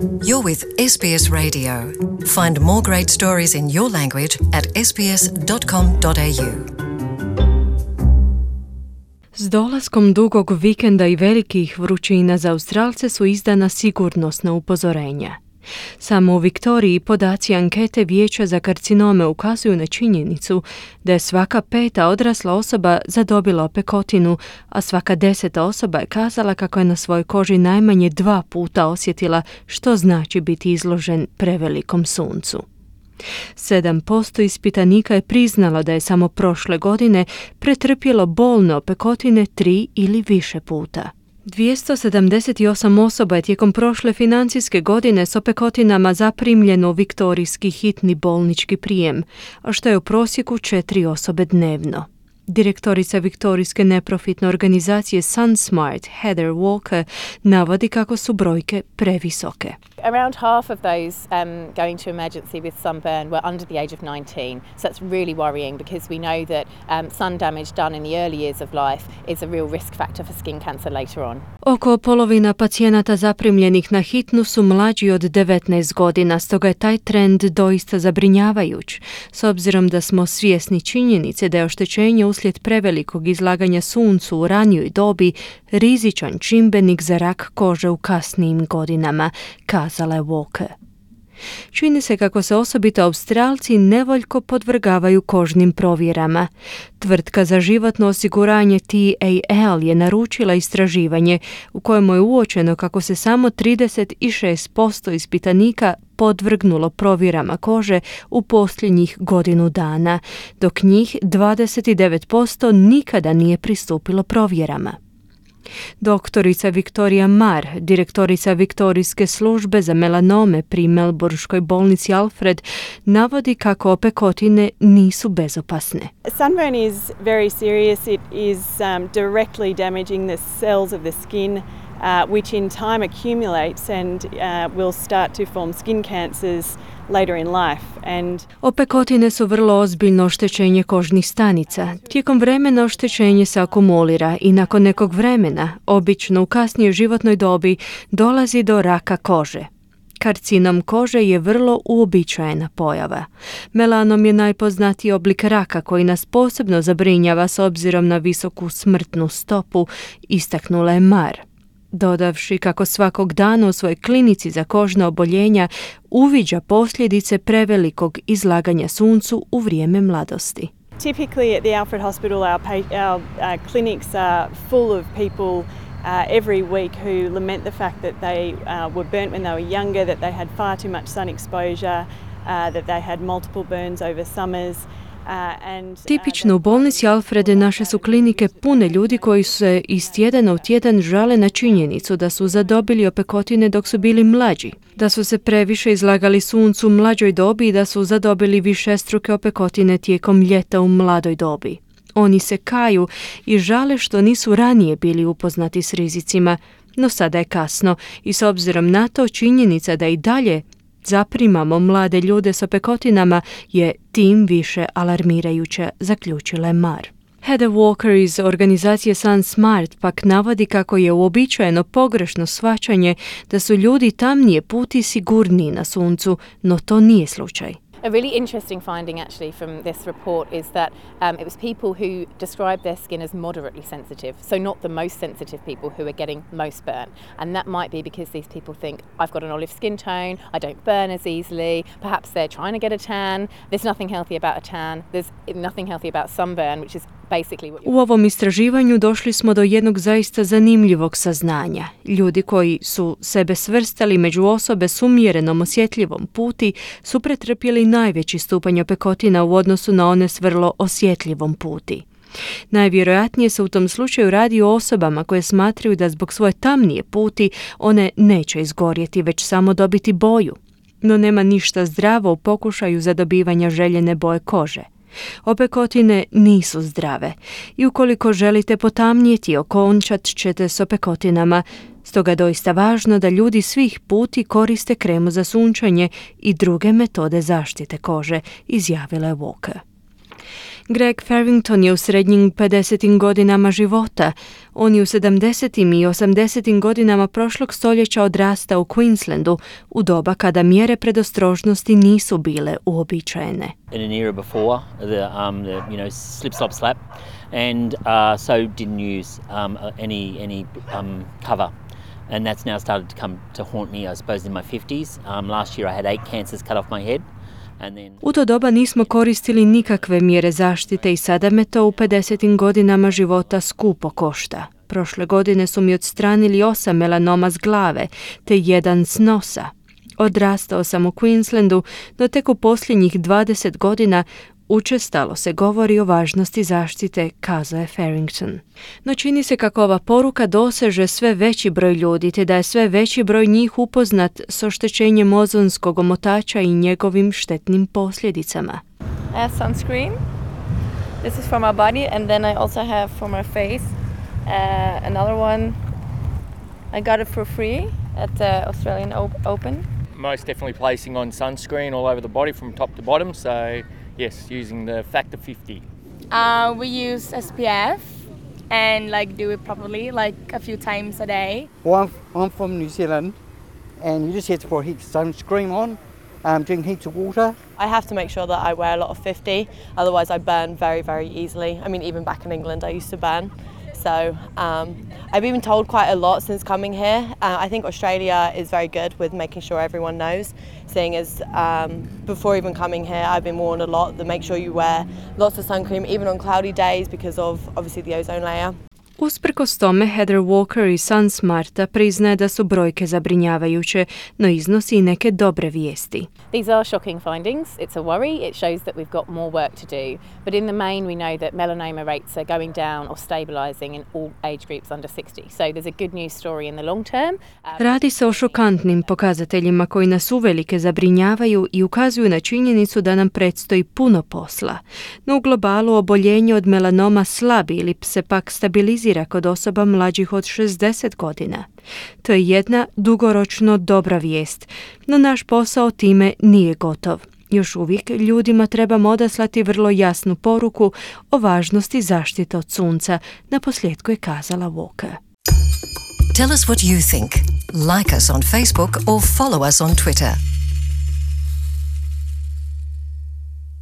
You're with SBS Radio. Find more great stories in your language at sbs.com.au. S dolaskom dugog vikenda i velikih vrućina za Australce su izdana sigurnosna upozorenja. Samo u Viktoriji podaci ankete Vijeća za karcinome ukazuju na činjenicu da je svaka 5. odrasla osoba zadobila opekotinu, a svaka 10. osoba je kazala kako je na svojoj koži najmanje 2 puta osjetila što znači biti izložen prevelikom suncu. 7% ispitanika je priznalo da je samo prošle godine pretrpjelo bolne opekotine 3 ili više puta. 278 osoba je tijekom prošle financijske godine s opekotinama zaprimljeno u viktorijski hitni bolnički prijem, a što je u prosjeku 4 osobe dnevno. Direktorica viktorijske neprofitne organizacije SunSmart, Heather Walker, navodi kako su brojke previsoke. Around half of those going to emergency with sunburn were under the age of 19, so that's really worrying because we know that sun damage done in the early years of life is a real risk factor for skin cancer later on. Oko polovina pacijenata zaprimljenih na hitnu su mlađi od 19 godina, stoga je taj trend doista zabrinjavajuć, s obzirom da smo svjesni činjenice da je oštećenje uslijed prevelikog izlaganja suncu u ranijoj dobi rizičan čimbenik za rak kože u kasnijim godinama, kazala je Walker. Čini se kako se osobito Australci nevoljko podvrgavaju kožnim provjerama. Tvrtka za životno osiguranje TAL je naručila istraživanje u kojemu je uočeno kako se samo 36% ispitanika podvrgnulo provjerama kože u posljednjih godinu dana, dok njih 29% nikada nije pristupilo provjerama. Doktorica Victoria Marr, direktorica Viktorijske službe za melanome pri Melbourneškoj bolnici Alfred, navodi kako opekotine nisu bezopasne. Sunburn is very serious. It is directly damaging the cells of the skin, which in time accumulates and will start to form skin cancers later in life. Opekotine su vrlo ozbiljno oštećenje kožnih stanica. Tijekom vremena oštećenje se akumulira i nakon nekog vremena, obično u kasnijoj životnoj dobi, dolazi do raka kože. Karcinom kože je vrlo uobičajena pojava. Melanom je najpoznatiji oblik raka koji nas posebno zabrinjava s obzirom na visoku smrtnu stopu, istaknula je Marr, dodavši kako svakog dana u svojoj klinici za kožna oboljenja uviđa posljedice prevelikog izlaganja suncu u vrijeme mladosti. Typically at the Alfred Hospital our clinics are full of people every week who lament the fact that they were burnt when they were younger, that they had far too much sun exposure, that they had multiple burns over summers. Tipično u bolnici Alfrede naše su klinike pune ljudi koji se iz tjedana u tjedan žale na činjenicu da su zadobili opekotine dok su bili mlađi, da su se previše izlagali suncu u mlađoj dobi i da su zadobili višestruke opekotine tijekom ljeta u mladoj dobi. Oni se kaju i žale što nisu ranije bili upoznati s rizicima, no sada je kasno i s obzirom na to činjenica da i dalje zaprimamo mlade ljude s opekotinama je tim više alarmirajuća, zaključila je Marr. Heather Walker iz organizacije SunSmart pak navodi kako je uobičajeno pogrešno shvaćanje da su ljudi tamnije puti sigurniji na suncu, no to nije slučaj. A really interesting finding actually from this report is that it was people who described their skin as moderately sensitive, so not the most sensitive people who are getting most burn. And that might be because these people think, I've got an olive skin tone, I don't burn as easily, perhaps they're trying to get a tan. There's nothing healthy about a tan, there's nothing healthy about sunburn, which is basically what U ovom istraživanju došli smo do jednog zaista zanimljivog saznanja. Ljudi koji su sebe svrstali među osobe s umjerenom osjetljivom puti su pretrpjeli najveći stupanj opekotina u odnosu na one s vrlo osjetljivom puti. Najvjerojatnije se u tom slučaju radi o osobama koje smatraju da zbog svoje tamnije puti one neće izgorjeti, već samo dobiti boju. No nema ništa zdravo u pokušaju zadobivanja željene boje kože. Opekotine nisu zdrave i ukoliko želite potamnijeti, okončat ćete s opekotinama. Stoga je doista važno da ljudi svih puti koriste kremu za sunčanje i druge metode zaštite kože, izjavila je Walker. Greg Farrington je u srednjim 50. godinama života. On je u 70. i 80. godinama prošlog stoljeća odrasta u Queenslandu u doba kada mjere predostrožnosti nisu bile uobičajene. In an era before the slip slop slap, and so didn't use any cover. And that's now started to come to haunt me, I suppose, in my 50s. Last year I had 8 cancers cut off my head. U to doba nismo koristili nikakve mjere zaštite i sada me to u 50. godinama života skupo košta. Prošle godine su mi odstranili 8 melanoma s glave, te 1 s nosa. Odrastao sam u Queenslandu, no tek u posljednjih 20 godina učestalo se govori o važnosti zaštite, kazao je Farrington. No čini se kako ova poruka doseže sve veći broj ljudi, te da je sve veći broj njih upoznat s oštećenjem ozonskog omotača i njegovim štetnim posljedicama. I have sunscreen. This is for my body, and then I also have for my face another one. I got it for free at the Australian Open. Most definitely placing on sunscreen all over the body from top to bottom, so yes, using the factor 50. We use SPF and do it properly, a few times a day. Well, I'm from New Zealand, and you just have to put heaps of sunscreen on, drink heaps of water. I have to make sure that I wear a lot of 50, otherwise I burn very, very easily. I mean, even back in England I used to burn. So I've been told quite a lot since coming here. I think Australia is very good with making sure everyone knows, seeing as before even coming here I've been warned a lot that make sure you wear lots of sun cream even on cloudy days because of obviously the ozone layer. Usprkos tome, Heather Walker iz Sun Smarta priznaje da su brojke zabrinjavajuće, no iznosi i neke dobre vijesti. These are shocking findings. It's a worry. It shows that we've got more work to do. But in the main, we know that melanoma rates are going down or stabilizing in all age groups under 60. So there's a good news story in the long term. Radi se o šokantnim pokazateljima koji nas uvelike zabrinjavaju i ukazuju na činjenicu da nam predstoji puno posla. No u globalu oboljenje od melanoma slabi ili se pak stabilizira kod osoba mlađih od 60 godina. To je jedna dugoročno dobra vijest, no naš posao time nije gotov. Još uvijek ljudima trebamo odaslati vrlo jasnu poruku o važnosti zaštite od sunca, naposljetku je kazala Walker. Tell us what you think. Like us on Facebook or follow us on Twitter.